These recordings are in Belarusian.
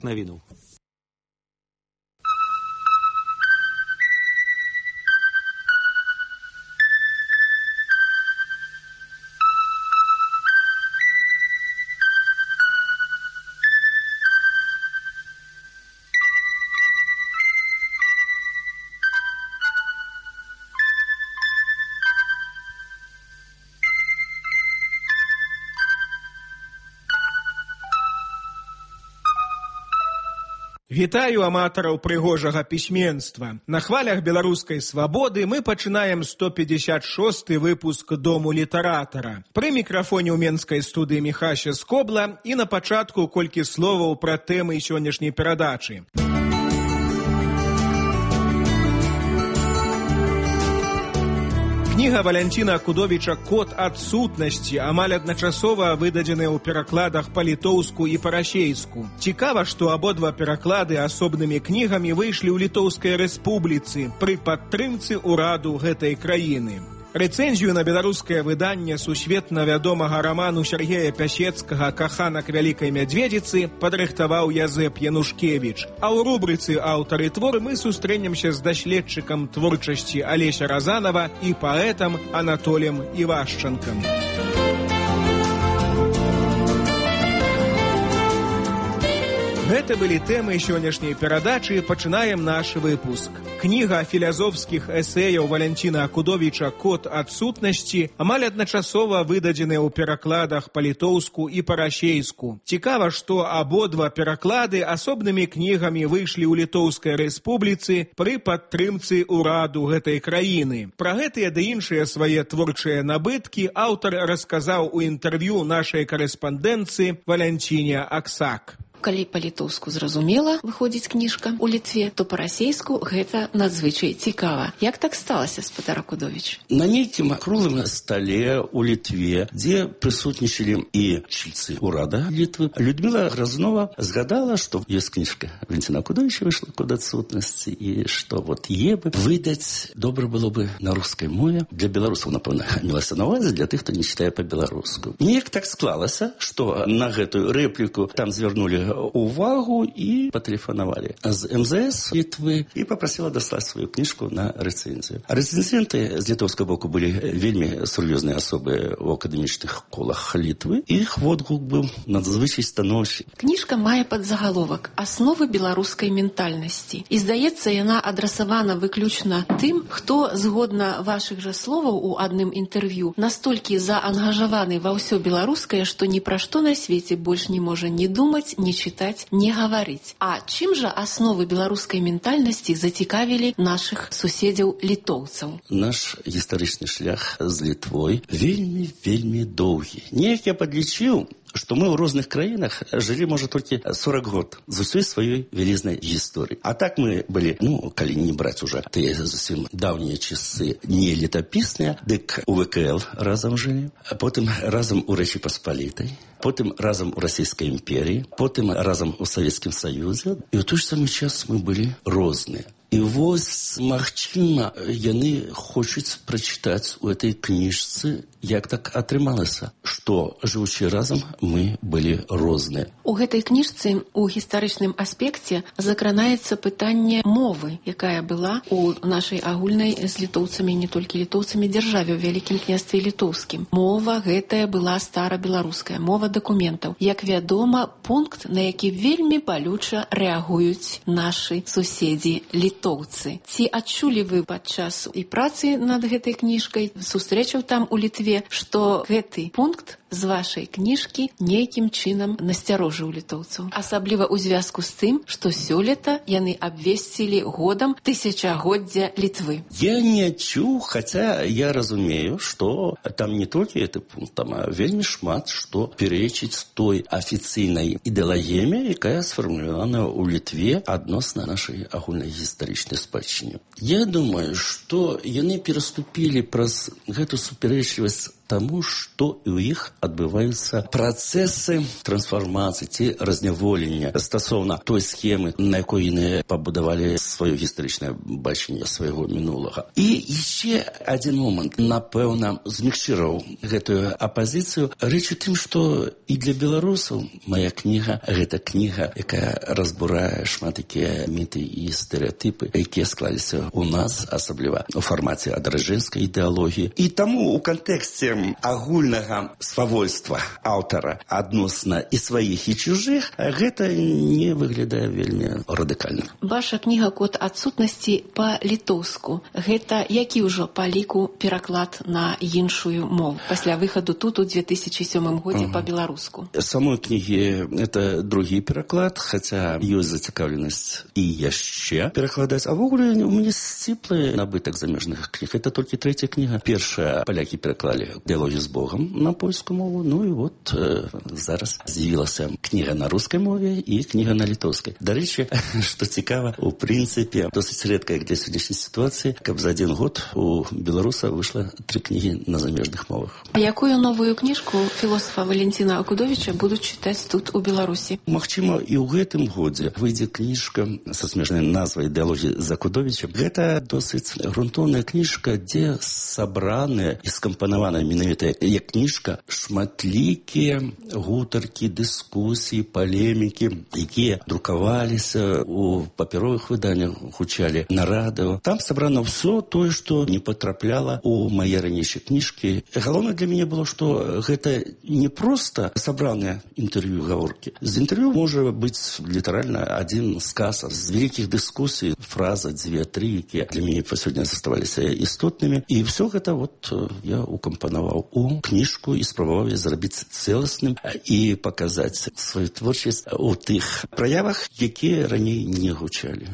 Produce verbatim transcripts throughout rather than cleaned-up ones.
Навіну. Вітаю аматараў прыгожага пісьменства. На хвалях беларускай свабоды мы пачынаем сто пятьдесят шосты выпуск Дому літаратара. Пры мікрафоне ў менскай студыі Міхася Скобла і на пачатку колькі словаў пра тэмы сённяшняй перадачы. Кніга Валянціна Акудовіча «Код адсутнасці» амаль адначасова выдадзеная ў перакладах па-літоўску і па-расейску. Цікава, што абодва пераклады асобнымі кнігамі выйшлі ў Літоўскай рэспубліцы пры падтрымцы ўраду гэтай краіны. Рэцэнзію на беларускае выданне сусветна вядомага раману Сергея Пясецкага «Каханак вялікай мядзведзіцы» падрыхтаваў Язэп Янушкевіч. А ў рубрыцы «Аўтары твор» мы сустрэнемся з даследчыкам творчасці Алеся Разанова і паэтам Анатолем Івашчанкам. Гэта былі тэмы сённяшняй перадачы, пачынаем наш выпуск. Кніга філазофскіх эсэяў Валянціна Акудовіча «Код адсутнасці» амаль адначасова выдадзены ў перакладах па-літоўску і па-расейску. Цікава, што абодва пераклады асобнымі кнігамі выйшлі ў Літоўскай рэспубліцы пры падтрымцы ўраду гэтай краіны. Пра гэтыя ды іншыя свае творчыя набыткі аўтар расказаў у інтэрв'ю нашай карэспандэнцыі Валянціне Аксак. Калі па-літоўску зразумела выходзіць кніжка ў Літве, то па-расейску гэта надзвычай цікава. Як так сталася, спадар Акудовіч? На нейкім круглым стале ў Літве, дзе прысутнічалі і чільцы ўрада Літвы, Людміла Грознова згадала, што ёсць кніжка Валянціна Акудовіча выйшла «Код адсутнасці» і што вот е бы выдаць добра было бы на рускай мове. Для беларусаў, напэўна, мелася на ўвазе, для тых, хто не чытае па-беларуску. Неяк так склалася, што на гэтую рэпліку там звярнули увагу і патэлефанавалі з эм зэ эс Літвы і папрасіла даслаць сваю кніжку на рэцэнзію. А рэцэнзенты з літоўскага боку былі вельмі сур'ёзныя асобы ў акадэмічных колах Літвы. Іх водгук быў надзвычай станоўчы. Кніжка мае падзагаловак «Асновы беларускай ментальнасці». І, здаецца, яна адрасавана выключна тым, хто, згодна вашых жа словаў у адным інтэрв'ю, настолькі заангажаваны ва ўсё беларускае, што ні пра што на свеце больш не можа ні думаць, ні чытаць, не гаварыць. А чым жа асновы беларускай ментальнасці зацікавілі нашых суседзяў літоўцаў? Наш гістарычны шлях з Літвой вельмі-вельмі доўгі. Неяк я падлічыў, што мы ў розных краінах жылі, можа, толькі сорок год з усёй сваёй вялізнай гісторыі. А так мы былі, ну, калі не браць уже тыя зусім даўнія часы не летапісныя, дык у вэ ка эл разам жылі, а потым разам у Рэчы Паспалітай, потым разам у Расійскай імперіі, потым разам у Савецкім Саюзе. І ў той ж самы час мы былі розныя. І вось, магчыма, яны хочуць прачытаць у этой кніжцы, як так атрымалася, што, жывучы разам, мы былі розныя. У гэтай кніжцы у гістарычным аспекце закранаецца пытанне мовы, якая была у нашай агульнай з літоўцамі, не толькі літоўцамі, дзяржаве ў Вялікім княстве літоўскім. Мова гэтая была старабеларуская, мова дакументаў. Як вядома, пункт, на які вельмі балюча рэагуюць нашы суседзі літоўцы. Ці адчулі вы падчас і працы над гэтай кніжкай, сустрэчаў там у Літве, што гэты пункт з вашай кніжкі нейкім чынам насцярожыў літоўцаў? Асабліва ў звязку з тым, што сёлета яны абвесцілі годам тысячагоддзя Літвы. Я не чуў, хаця я разумею, што там не толькі гэты пункт, там вельмі шмат што перечыць той афіцыйнай ідэалагіяме, якая сфармулявана ў Літве адносна нашай агульнай гістарычнай спадчыне. Я думаю, што яны пераступілі праз гэту супярэчлівасць тому, што і ў іх адбываюцца працэсы трансфармацыі ці разняволення стасоўна той схемы, на якой яны пабудавалі сваё гістарычнае бачанне свайго мінулага. І яшчэ адзін момант, напэўна, змягчыраў гэтую апазіцыю. Рэч у тым, што і для беларусаў мая кніга — гэта кніга, якая разбурае шмат такія міты і стэрэатыпы, якія склаліся ў нас, асабліва у фармаце адраджэнскай ідэалогіі. І таму у кантэксце агульнага свавольства аўтара адносна і сваіх, і чужых, гэта не выглядае вельмі радыкальна. Ваша кніга «Код адсутнасці» па-літоўску. Гэта які ўжо па ліку пераклад на іншую мову пасля выхаду тут у две тысячи сёмым годзе uh-huh. па-беларуску? Самой кнігі это другі пераклад, хаця ёсць зацікаўленасць і яшчэ перакладаць. А ввогуле у мяне сціплы набытак замежных кніг. Это толькі трэця кніга. Першая палякі пераклалі «Дыялогію з Богом» на польскую мову. Ну і вот э, зараз з'явілася кніга на рускай мове і кніга на літоўскай. Дарэчы, што цікава, у прынцыпе досыць рэдка, як для сённяшняй сітуацыі, каб за адзін год у беларуса выйшла тры кнігі на замежных мовах. А якую новую кніжку філосафа Валентина Акудовіча будуць чытаць тут у Беларусі? Магчыма, і ў гэтым годзе выйдзе кніжка са смешнай назвай «Дыялогія з Акудовічам». Гэта досыць грунтоўная кніжка, дзе сабраныя і скампанаваная менавіта як кніжка шматлікія гутаркі, дыскусіі, палемікі, якія друкаваліся у папяровых выданнях, гучалі на радыё. Там сабрана ўсё тое, што не патрапляла у мае ранейшыя кніжкі. Галоўнае для мяне было, што гэта не проста сабраныя інтэрв'ю, гаворкі. З інтэрв'ю можа быць літаральна адзін сказ з вялікіх дыскусій, фраза, дзве, тры, якія для мяне па сёння заставаліся істотнымі. І ўсё гэта вот я укампанаваў у кніжку і спрабаваў зрабіць цэласным і паказаць сваю творчасць у тых праявах, якія раней не гучалі.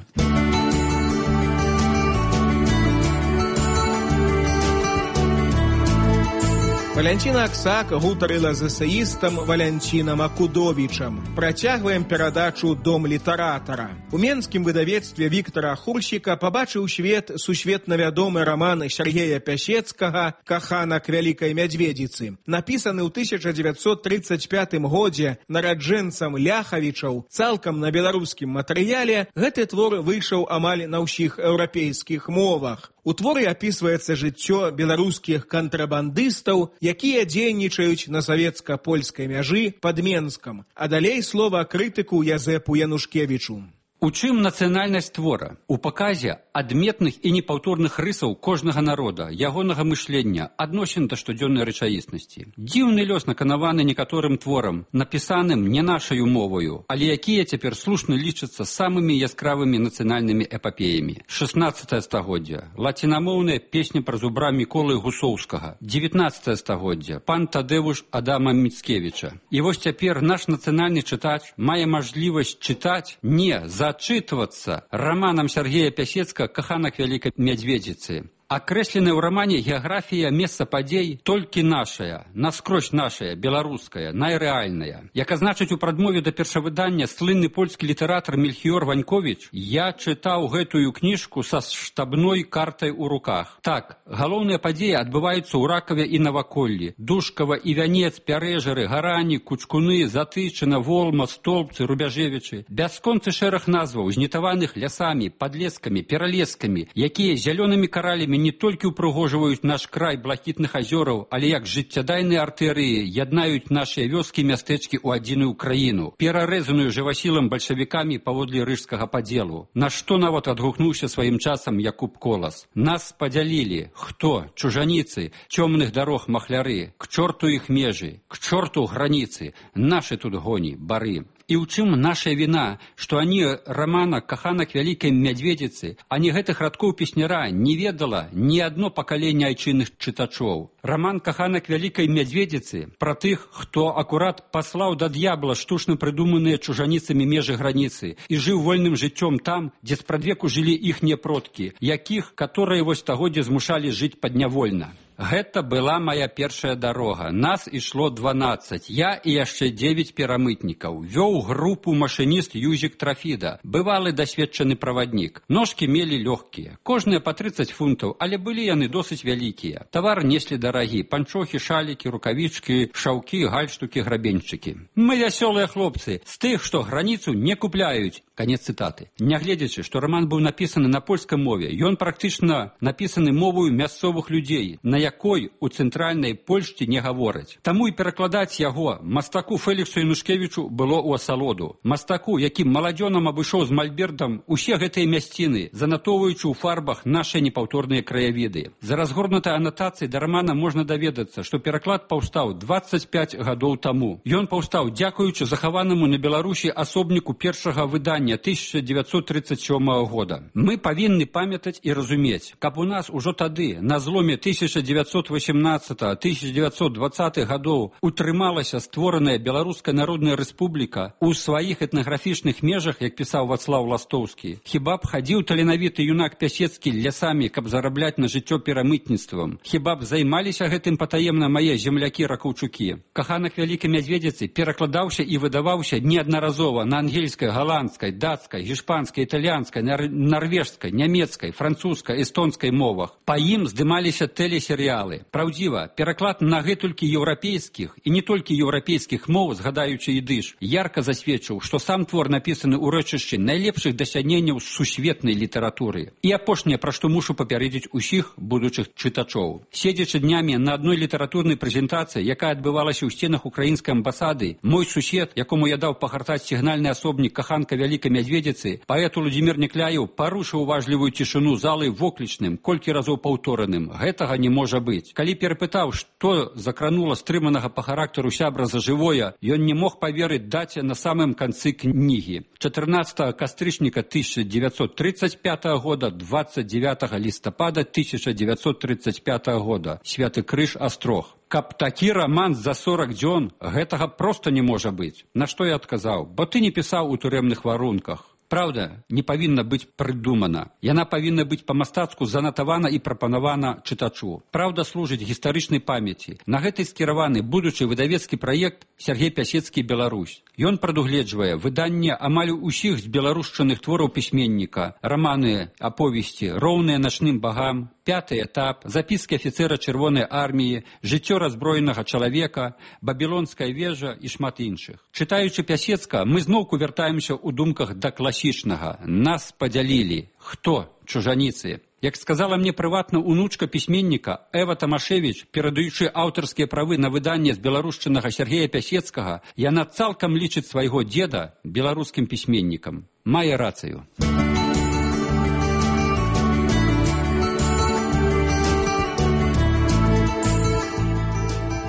Валянціна Аксак гутарыла з эсеістам Валянцінам Акудовічам. Працягваем перадачу «Дом літаратара». У менскім выдавецтве Віктара Хурсіка пабачыў свет сусветна вядомы раман Сергея Пясецкага «Каханак вялікай мядзведзіцы». Напісаны ў тысяча дзевяцьсот трыццаць пятым годзе нараджэнцам Ляхавічаў цалкам на беларускім матэрыяле, гэты твор выйшаў амаль на ўсіх еўрапейскіх мовах. У творы апісваецца жыццё беларускіх кантрабандыстаў, якія дзейнічаюць на савецка-польскай мяжы пад Менскам. А далей слова крытыку Язэпу Янушкевічу. У чым нацыянальнасць твора? У паказе адметных і непаўторных рысаў кожнага народа, ягонага мышлення, адносін да штодзённай рэчаіснасці. Дзіўны лёс наканаваны некаторым творам, напісаным не нашаю моваю, але якія цяпер слушна лічацца самымі яскравымі нацыянальнымі эпапеямі. шаснаццатае стагоддзе. Лацінамоўная песня пра зубра Міколы Гусоўскага. дзевятнаццатае стагоддзе. Пан Тадэвуш Адама Міцкевіча. І вось цяпер наш нацыянальны чытач мае мажлівасць чытаць не за зачытвацца раманам Сергея Пясецкага «Каханак вялікай мядзведзіцы». Акрэсленая ў рамане геаграфія месца падзей толькі нашая, наскрозь нашая, беларуская, найрэальная. Як азначыць у прадмове да першавыдання слынны польскі літаратар Мельхіёр Ваньковіч, я чытаў гэтую кніжку са штабной картай у руках. Так, галоўныя падзеі адбываюцца ў Ракаве і наваколлі. Душкава і Вянец, Пярэжары, Гарані, Кучкуны, Затычына, Волма, Столбцы, Рубяжевічы. Бясконцы шэраг назваў, знітаваных лясамі, падлескамі, пералескамі, якія зялёнымі каралямі не толькі ўпрыгожваюць наш край блакітных азёраў, але як жыццядайныя артэрыі яднаюць нашыя вёскі і мястэчкі ў адзіную краіну, перарэзаную жывасілам бальшавікамі паводле рыжскага падзелу. На што нават адгукнуўся сваім часам Якуб Колас. Нас падзялілі. Хто? Чужаніцы, цёмных дарог махляры, к чорту іх межы, к чорту граніцы, нашы тут гоні, бары. І ў чым наша віна, што ані рамана «Каханак вялікай мядзведзіцы», ані гэтых радкоў песняра не ведала ні адно пакаленне айчынных чытачоў. Раман «Каханак вялікай мядзведзіцы» пра тых, хто акурат паслаў да д'ябла штучна прыдуманыя чужаніцамі межы граніцы і жыў вольным жыццём там, дзе спрадвеку жылі іхнія продкі, якіх, каторыя вось стагоддзя змушалі жыць паднявольна. Гэта была моя першая дарога. Нас ішло дванаццаць. Я і яшчэ дзевяць перамытнікаў. Вёў групу машыніст Юзік Трафіда, бывалы дасведчаны праваднік. Ножкі мелі лёгкія, кожныя па трыццаць фунтаў, але былі яны досыць вялікія. Тавар неслі дарагі, панчохі, шалікі, рукавічкі, шаўкі, гальштукі, грабеньчыкі. Мы вясёлыя хлопцы, з тых, што граніцу не купляюць. Канец цытаты. Нягледзячы, што раман быў напісаны на польскай мове, ён практычна напісаны мовою мясцовых людзей, на якой у цэнтральнай Польшчы не гавораць. Таму і перакладаць яго мастаку Феліксу Янушкевічу было ў асалоду. Мастаку, які маладзёнам абышоў з мальбертам усе гэтыя мясціны, занатоўваючы ў фарбах нашы непаўторныя краявіды. За разгорнутай анатацыяй да рамана можна даведацца, што пераклад паўстаў дваццаць пяць гадоў таму. Ён паўстаў дзякуючы захаванаму на Беларусі асобніку першага выдання тысяча дзевяцьсот тридцать сёмага года. Мы павінны памятаць і разумець, каб у нас ужо тады, на зломе тысяча дзевяцьсот восемнадцатага - тысяча дзевяцьсот дваццатых гадоў, утрымалася створаная Беларуская Народная Рэспубліка у сваіх этнаграфічных межах, як пісаў Вацлаў Ластоўскі. Хіба б хадзіў таленавіты юнак Пясецкі лясамі, каб зарабляць на жыццё перамытніцтвам? Хіба б займаліся гэтым патаемна мае землякі-ракаўчукі? Каханак Вялікай Мядзведзіцы перакладаўся і выдаваўся неаднаразова на ангельскай, галандскай, датскай, гішпанскай, італьянскай, нар нарвежскай, нямецкай, французскай, эстонскай мовах. Па ім здымаліся тэлесерыялы. Праўдзіва, пераклад на гэтулькі еўрапейскіх і не толькі еўрапейскіх моў, згадаючы ідыш, ярка засведчыў, што сам твор напісаны ў рэчышчы найлепшых дасягненняў сусветнай літаратуры. І апошняе, пра што мушу папярэдзіць усіх будучых чытачоў. Седзячы днямі на адной літаратурнай прэзентацыі, якая адбывалася ў сценах украінскай амбасады, мой сусед, якому я даў пагартаць сігнальны асобнік Каханка Вялікай Мядзведзіцы, паэт Уладзімір Некляеў парушыў уважлівую цішыню залы воклічным, колькі разоў паўтораным. Гэтага не можа быць. Калі перапытаў, што закранула стрыманага па характару сябра за жывое, ён не мог паверыць даце на самым канцы кнігі. чатырнаццатага кастрычніка тысяча дзевяцьсот тридцать пятага года, двадцать девятого лістапада тысяча дзевяцьсот тридцать пятага года. Святы Крыж, Астрог. Каб такі раман за сорок дзён, гэтага проста не можа быць. На што я адказаў? Бо ты не пісаў у турэмных варунках. Праўда не павінна быць прыдумана. Яна павінна быць па-мастацку занатавана і прапанавана чытачу. Праўда служыць гістарычнай памяці. На гэтай скіраваны будучы выдавецкі праект Сергей Пясецкі «Беларусь». Ён прадугледжвае выданне амаль усіх з беларушчаных твораў пісьменніка, раманы, аповесці, роўныя начным багам, пяты этап, запіскі афіцэра Чырвонай арміі, жыццё раззброенага чалавека, бабілонская вежа і шмат іншых. Чытаючы Пясецка, мы зноўку вяртаемся ў думках да класічнага. Нас падзялілі. Хто? Чужаніцы. Як сказала мне прыватна унучка пісьменніка Эва Тамашевіч, перадаючы аўтарскія правы на выданне з беларушчынага Сергея Пясецкага, яна цалкам лічыць свайго дзеда беларускім пісьменнікам. Мае рацыю.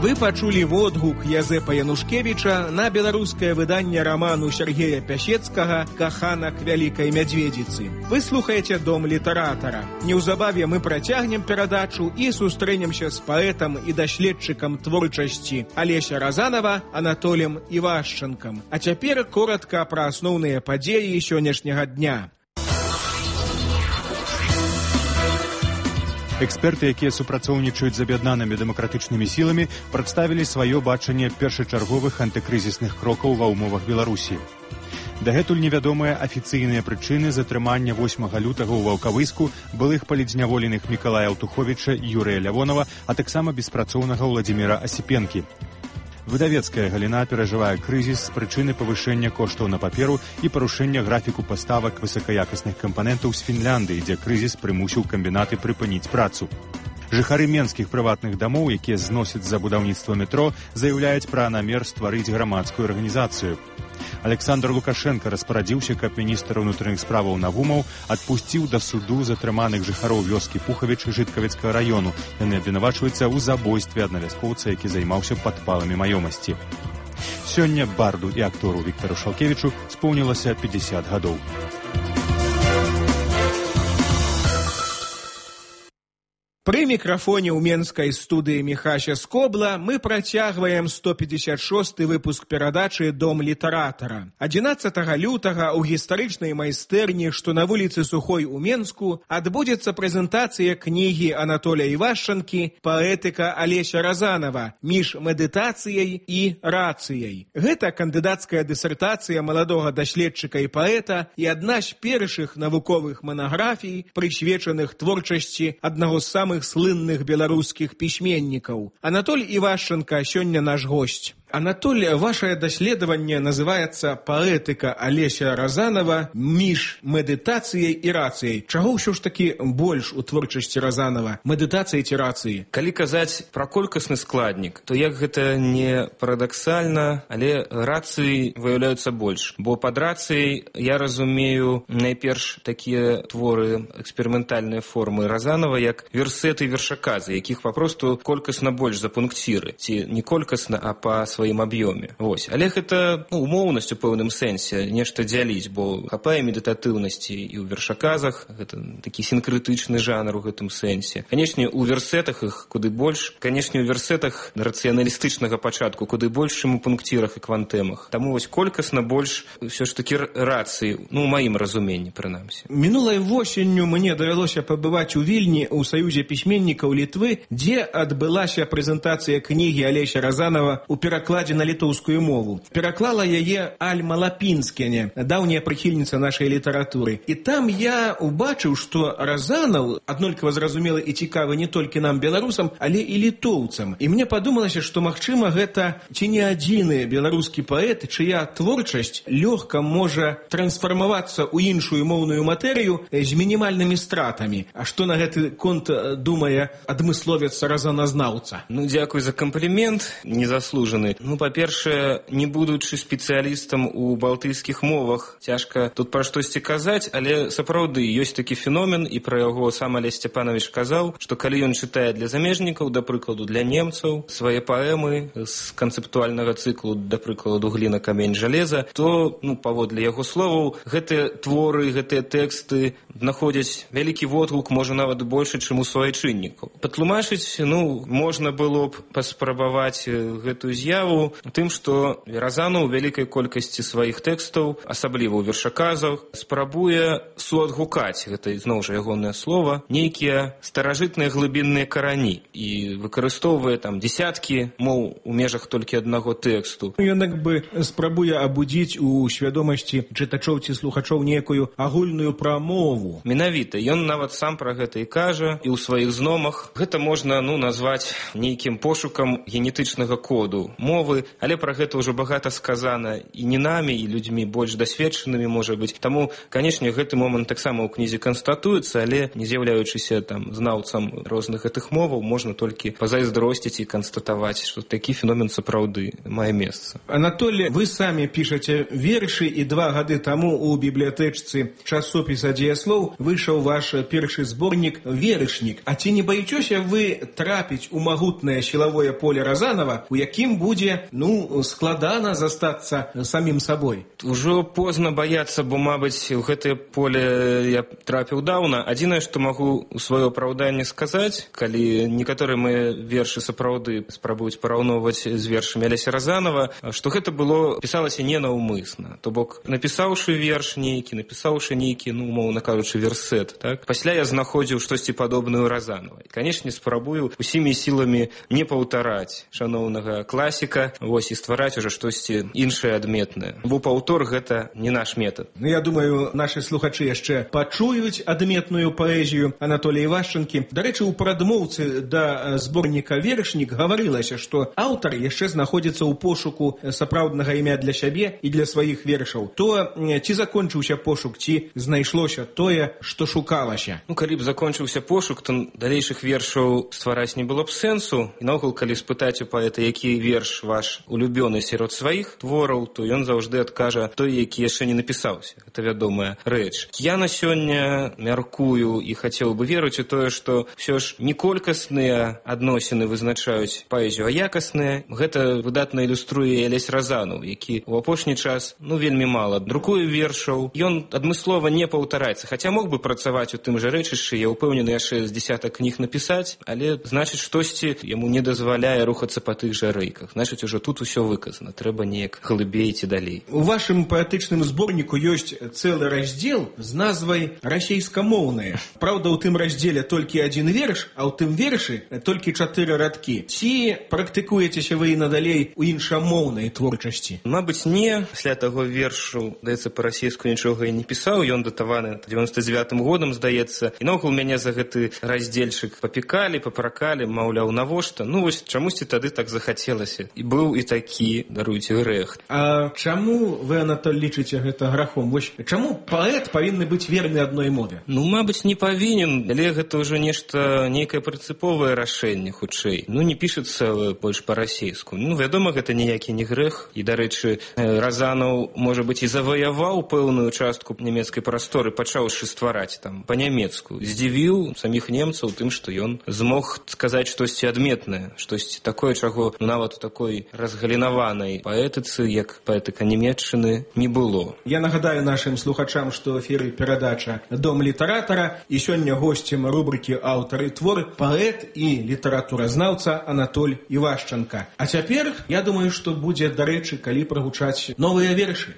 Вы пачулі водгук Язэпа Янушкевіча на беларускае выданне раману Сергея Пясецкага «Каханак Вялікай Мядзведзіцы». Вы слухаеце Дом літаратара. Неўзабаве мы працягнем перадачу і сустрэнемся з паэтам і даследчыкам творчасці Алеся Разанова Анатолем Івашчанкам. А цяпер коратка пра асноўныя падзеі сённяшняга дня. Эксперты, якія супрацоўнічаюць з аб'яднанымі дэмакратычнымі сіламі, прадставілі сваё бачанне першачарговых антыкрызісных крокаў ва ўмовах Беларусі. Дагэтуль невядомыя афіцыйныя прычыны затрымання восьмага лютага ў Ваўкавыску былых палідзняволеных Мікалая Аўтуховіча і Юрыя Лявонава, а таксама беспрацоўнага Ўладзіміра Асіпенкі. Выдавецкая галіна перажывае крызіс з прычыны павышэння коштаў на паперу і парушэння графіку паставак высакаякасных кампанентаў з Фінляндыі, дзе крызіс прымусіў камбінаты прыпыніць працу. Жыхары менскіх прыватных дамоў, якія зносяць за будаўніцтва метро, заяўляюць пра намер стварыць грамадскую арганізацыю. Александр Лукашенко распарадзіўся, каб міністр унутраных справаў Навумаў адпусціў да суду затрыманых жыхароў вёскі Пухавіч Жыткавіцкага раёну. Яны абвінавачваюцца ў забойстве аднавяскоўца, які займаўся падпаламі маёмасці. Сёння барду і актору Віктару Шалкевічу споўнілася пятьдесят гадоў. Пры мікрафоне ў менскай студыі Міхася Скобла мы працягваем сто пятьдесят шосты выпуск перадачы «Дом літаратара». адзінаццатага лютага ў гістарычнай майстэрні, што на вуліцы Сухой у Менску, адбудзецца прэзентацыя кнігі Анатолія Івашчанкі «Паэтыка Алеся Разанова. Між медытацыяй і рацыяй». Гэта кандыдацкая дысертацыя маладога даследчыка і паэта і адна з першых навуковых манаграфій, прысвечаных творчасці аднаго з самых слынных беларускіх пісьменнікаў. Анатоль Івашчанка сёння наш госць. Анатоль, ваше даследаванне называецца «Паэтыка Алеся Разанова. Між медытацыяй і рацыяй». Чаго ўсё ж такі больш у творчасці Разанова? Медытацыі ці рацыі? Калі казаць пра колькасны складнік, то як гэта не парадаксальна, але рацыі выяўляюцца больш. Бо пад рацыяй я разумею найперш такія творы, эксперыментальныя формы Разанова, як версеты і вершаказы, якіх папросту колькасна больш за пункціры. Ці не колькасна, а па сваім аб'ёме. Вось. Але гэта ну, умоўнасць у пэўным сэнсе, нешта дзяліць, бо хапае медытатыўнасці і ў вершаказах, гэта такі сінкрытычны жанр у гэтым сэнсе. Канечне, у версетах іх куды больш, канечне, у версетах рацыяналістычнага пачатку куды больш, чым у пункцірах і квантэмах. Таму вось колькасна больш ўсё ж такі рацыі, ну, у маім разуменні, прынамсі. Мінулай восенню мне давялося пабываць у Вільні ў Саюзе пісьменнікаў Літвы, дзе адбылася прэзентацыя кнігі Алеся Разанова у перакладзе на літоўскую мову. Пераклала яе Альма Лапінскене, даўняя прыхільніца нашай літаратуры. І там я убачыў, што Разанаў аднолькава зразумелы і цікавы не толькі нам, беларусам, але і літоўцам. І мне падумалася, што, магчыма, гэта ці не адзіны беларускі паэт, чыя творчасць лёгка можа трансфармавацца ў іншую моўную матэрыю з мінімальнымі стратамі. А што на гэты конт думае адмысловец разаназнаўца? Ну, дзякуй за камплімент, незаслужаны. Ну, па-першае, не будучы спецыялістам у балтыйскіх мовах, цяжка тут пра штосьці казаць, але сапраўды ёсць такі феномен, і пра яго сам Алесь Сцяпанович казаў, што калі ён чытае для замежнікаў, да прыкладу для немцаў, свае паэмы з канцэптуальнага цыклу, да прыкладу «Гліна, камень, жалеза», то, ну, паводле яго словаў, гэтыя творы, гэтыя тэксты знаходзяць вялікі водгук, можа нават больше, чым у суайчыннікаў. Патлумачыць, ну, можна было б паспрабаваць гэтую з'яву тым, што Разанаў у вялікай колькасці сваіх тэкстаў, асабліва ў вершаказах, спрабуе суадгукаць, гэта зноў жа ягонае слова, нейкія старажытныя глыбінныя карані і выкарыстоўвае там дзесяткі моў у межах толькі аднаго тэксту. Ён як бы спрабуе абудзіць у свядомасці чытачоў ці слухачоў нейкую агульную прамову. Менавіта, ён нават сам пра гэта і кажа, і ў сваіх зномах. Гэта можна, ну, назваць нейкім пошукам генетычнага коду мовы, але пра гэта ўжо багата сказана і не намі, і людзьмі больш дасведчанымі, можа быць. Таму, канечне, гэты момант таксама ў кнізе канстатуецца, але не з'яўляючыся там знаўцам розных гэтых моваў, можна толькі пазайздросціць і канстатаваць, што такі феномен сапраўды мае месца. Анатолий, вы самі пішаце вершы, і два гады таму у бібліятэчцы часопіса «Дзеяслоў» выйшаў ваш першы зборнік «Верышнік». А ці не баіцеся вы трапіць у магутнае сілавое поле Разанова, у якім будзе, ну, складана застацца самім сабой? Ужо позна баяцца, бо, мабыць, у гэтае поле я трапіў даўна. Адзінае, што магу у сваё апраўданне сказаць, калі некаторыя мае вершы сапраўды спрабуюць параўноўваць з вершамі Алеся Разанова, што гэта было, пісалася ненаўмысна. То бок, напісаўшы верш нейкі, напісаўшы нейкі, ну, умоўна кажучы, версет, так? Пасля я знаходзіў штосьці падобнае ў Разанова. І, канечне, спрабую усімі сіламі не паўтараць шаноўнага класіка, вось, і ствараць уже штосьці іншае адметнае. Бо паўтор гэта не наш метад. Ну, я думаю, нашы слухачы яшчэ пачуюць адметную паэзію Анатолія Івашчанкі. Дарэчы, у прадмоўцы да зборніка «Верышнік» гаварылася, што аўтар яшчэ знаходзіцца ў пошуку сапраўднага імя для сябе і для сваіх вершаў. То ці закончыўся пошук, ці знайшлося тое, што шукалася? Ну, калі б закончыўся пошук, то далейшых вершаў ствараць не было б сэнсу. І наогул, калі спытаць у паэта, які верш ваш улюбёны сярод сваіх твораў, то ён заўжды адкажа той, які яшчэ не напісаўся. Гэта вядомая рэч. Я на сёння мяркую і хацеў бы верыць у тое, што ўсё ж не колькасныя адносіны вызначаюць паэзію, а якасныя. Гэта выдатна ілюструе Алесь Разанаў, які ў апошні час ну вельмі мала друкуе вершаў. Ён адмыслова не паўтараецца, хаця мог бы працаваць у тым жа рэчышчы, я ўпэўнены яшчэ з дзясятак кніг напісаць, але значыць штосьці яму не дазваляе рухацца па тых жа рэйках. Значыць, ужо тут усё выказана, трэба неяк глыбей ці далей. У вашым паэтычным зборніку ёсць цэлы раздзел з назвай расейскамоўныя. Праўда, у тым раздзеле толькі адзін верш, а ў тым вершы толькі чатыры радкі. Ці практыкуецеся вы і надалей у іншамоўнай творчасці? Мабыць, не. Пасля таго вершу, здаецца, па-расейску нічога і не пісаў. Ён датаваны дзевяноста дзевятым годам, здаецца. І наогул мяне за гэты раздзельчык папікалі, папракалі, маўляў, навошта? Ну вось чамусьці тады так захацелася. І быў і такі, даруйце, грэх. А чаму вы, Анатоль, лічыце гэта грахом? Вось чаму паэт павінны быць верны адной мове? Ну, мабыць, не павінен, але гэта ўжо нешта, нейкае прынцыповае рашэнне, хутчэй. Ну, не пішацца больш па-расейску. Ну, вядома, гэта ніякі не грэх. І, дарэчы, Разанаў, можа быць, і заваяваў пэўную частку нямецкай прасторы, пачаўшы ствараць там па-нямецку. Здзівіў саміх немцаў тым, што ён змог сказаць штосьці адметнае, штосьці такое, чаго ну, нават у такой разгалінаванай паэтыцы, як паэтыка нямецчыны, не было. Я нагадаю нашым слухачам, што ў эфіры перадача «Дом літаратара» і сёння госцем рубрыкі «Аўтар і твор» паэт і літаратуразнаўца Анатоль Івашчанка. А цяпер, я думаю, што будзе, дарэчы, калі прагучаць новыя вершы.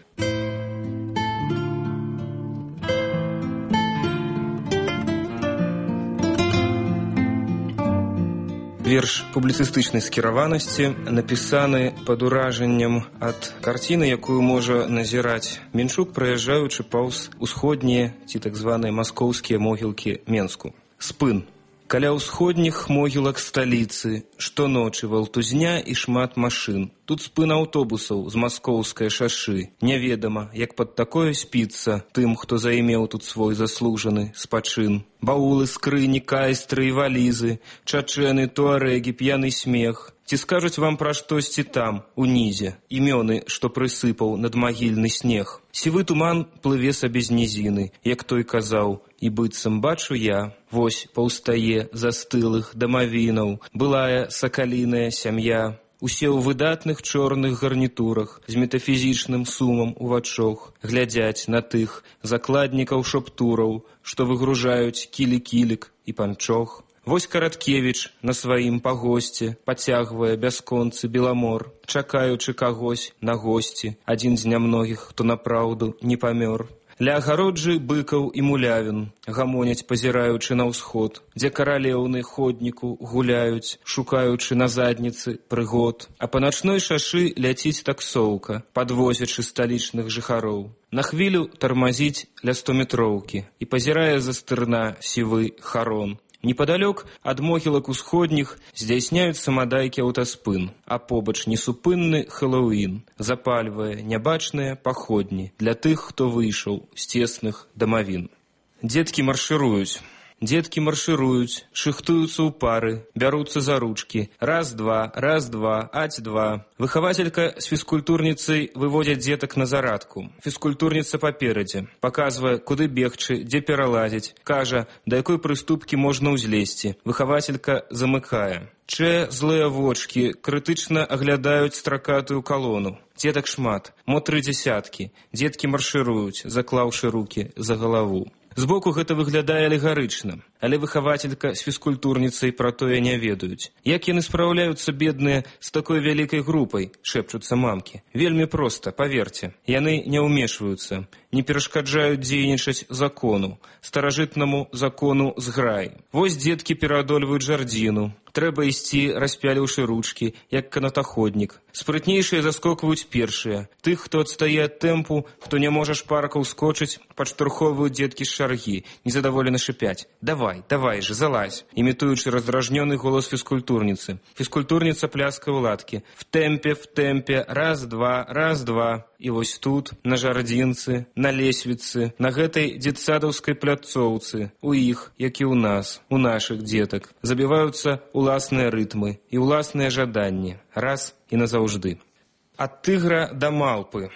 Верш публіцыстычнай скіраванасці напісаны пад уражаннем ад карціны, якую можа назіраць Менчук, праязджаючы паўз усходнія ці так званыя маскоўскія могілкі Менску. Спын. Каля ўсходніх могілак сталіцы штоночы валтузня і шмат машын. Тут спын аўтобусаў з маскоўскай шашы. Няведама, як пад такое спіцца тым, хто займеў тут свой заслужаны спачын. Баулы, скрыні, кайстры і валізы, чачэны, туарэгі, п'яны смех. Ці скажуць вам пра штосьці там, унізе, імёны, што прысыпаў надмагільны снег. Сівы туман плыве сабе з нізіны, як той казаў, і быццам бачу я, вось паўстае застылых дамавінаў, былая сакаліная сям'я. Усе ў выдатных чорных гарнітурах, з метафізічным сумам у вачох, глядзяць на тых закладнікаў шаптураў, што выгружаюць кілі-кілік і панчох. Вось Караткевіч на сваім пагосце пацягвае бясконцы беламор, чакаючы кагось на госці, адзін з нямногіх, хто напраўду не памёр. Ля агароджы быкаў і мулявін гамоняць, пазіраючы на ўсход, дзе каралеўны ходніку гуляюць, шукаючы на задніцы прыгод. А па начной шашы ляціць таксоўка, падвозячы сталічных жыхароў. На хвілю тармазіць ля стометроўкі і пазірае за стырна сівы харон. Непадалёк ад могілак усходніх здзяйсняюць самадайкі аўтаспын, а побач несупынны Хэллоуін запальвае нябачныя паходні для тых, хто выйшаў з цесных дамавін. Дзеткі маршыруюць. Дзеткі маршыруюць, шыхтуюцца ў пары, бяруцца за ручкі. Раз-два, раз-два, аць-два. Выхавацелька з фізкультурніцай выводзяць дзетак на зарадку. Фізкультурніца паперадзе, паказвае, куды бегчы, дзе пералазіць, кажа, да якой прыступкі можна ўзлезці. Выхавацелька замыкае. Чэ злыя вочкі крытычна аглядаюць стракатую калону. Дзетак шмат, мо тры дзесяткі. Дзеткі маршыруюць, заклаўшы рукі за галаву. Збоку гэта выглядае алегарычна, але выхавацелька з фізкультурніцай пра тое не ведаюць. Як яны спраўляюцца, бедныя, з такой вялікай групай, шэпчуцца мамкі. Вельмі проста, паверце. Яны не ўмешваюцца, не перашкаджаюць дзейнічаць закону, старажытнаму закону зграй. Вось дзеткі пераадольваюць жардзіну. Трэба ісці, распяліўшы ручкі, як канатаходнік. Спрытнейшыя заскокваюць першыя. Тых, хто адстае ад тэмпу, хто не можа шпарка ўскочыць, падштурхоўваюць дзеткі з шаргі, незадаволена шыпяць. Давай, давай же, залазь, імітуючы раздражнёны голас фізкультурніцы. Фізкультурніца пляска ў ладкі. В тэмпе, в тэмпе, раз-два, раз-два. І вось тут, на жардзінцы, на лесвіцы, на гэтай дзетсадаўскай пляцоўцы, у іх, як і ў нас, у нашых дзетак, забіваюцца ўласныя рытмы і ўласныя жаданні. Раз, і назаўжды. Ад тыгра да малпы.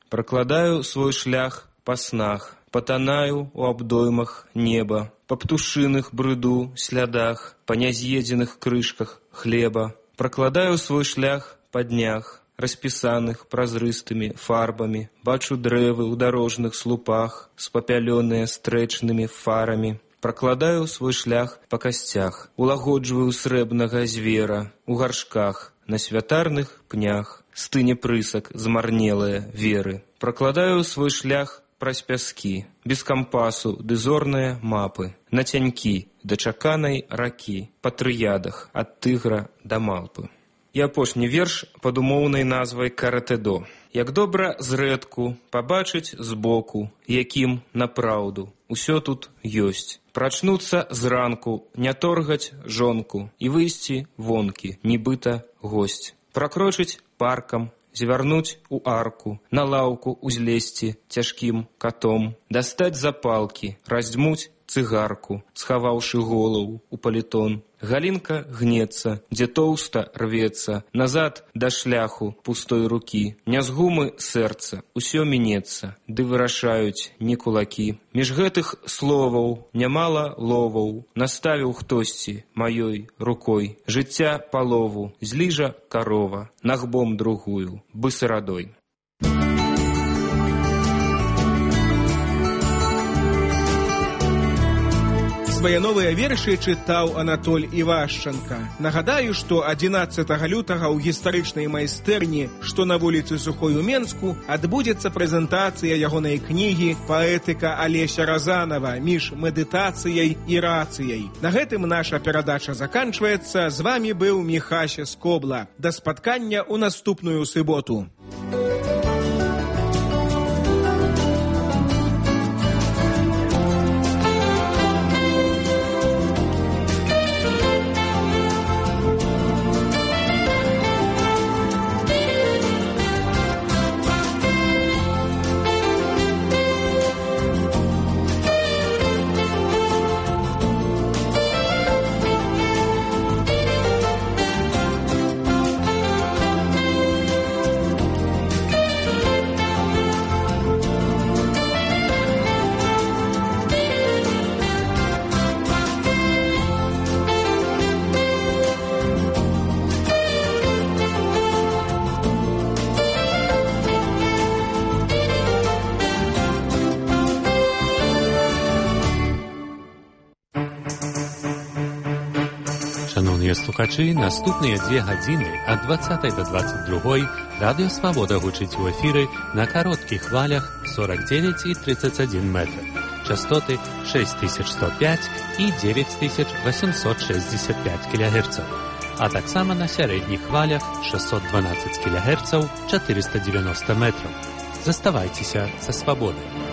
Пракладаю свой шлях па снах, патанаю у абдоймах неба, па птушыных брыду слядах, па няз'едзеных крышках хлеба. Пракладаю свой шлях па днях, распісаных празрыстымі фарбамі, бачу дрэвы ў дарожных слупах, спапялёныя стрэчнымі фарамі. Пракладаю свой шлях па касцях, улагоджваю срэбнага звера, у гаршках, на святарных пнях, стыне прысак змарнелыя веры. Пракладаю свой шлях праз пяскі, без кампасу ды зорныя мапы, на цянькі да чаканай ракі, па трыядах ад тыгра да малпы. І апошні верш пад умоўнай назвай «Каратэдо». Як добра зрэдку пабачыць збоку, якім напраўду усё тут ёсць. Прачнуцца зранку, не торгаць жонку і выйсці вонкі, нібыта госць. Пракрочыць паркам, звярнуць у арку, на лаўку узлезці цяжкім катом, дастаць запалкі, раздзьмуць цыгарку, схаваўшы голову у палітон. Галінка гнецца, дзе тоўста рвецца, назад да шляху пустой рукі. Не з гумы сэрца, усё мінецца, ды вырашаюць не кулакі. Між гэтых словаў нямала ловаў, наставіў хтосьці маёй рукой. Жыцця палову, зліжа карова, нагбом другую, бысарадой. Свае новыя вершы чытаў Анатоль Івашчанка. Нагадаю, што адзінаццатага лютага ў гістарычнай майстэрні, што на вуліцы Сухой у Менску, адбудзецца прэзентацыя ягонай кнігі «Паэтыка Алеся Разанова. Між медытацыяй і рацыяй». На гэтым наша перадача заканчваецца. З вамі быў Міхася Скобла. Да спаткання ў наступную суботу. Шановні слухачі, наступні дві години від двадцятої до двадцять другої Радіо Свобода гучить у ефірі на коротких хвалях сорок дев'ять і тридцять один метр. Частоти шесть тисяч сто п'ять і дев'ять тисяч вісімсот шістдесят п'ять кілогерців. А так само на середніх хвалях шістсот дванадцять кілогерців, чотириста дев'яносто метрів. Заставайтеся со Свободою.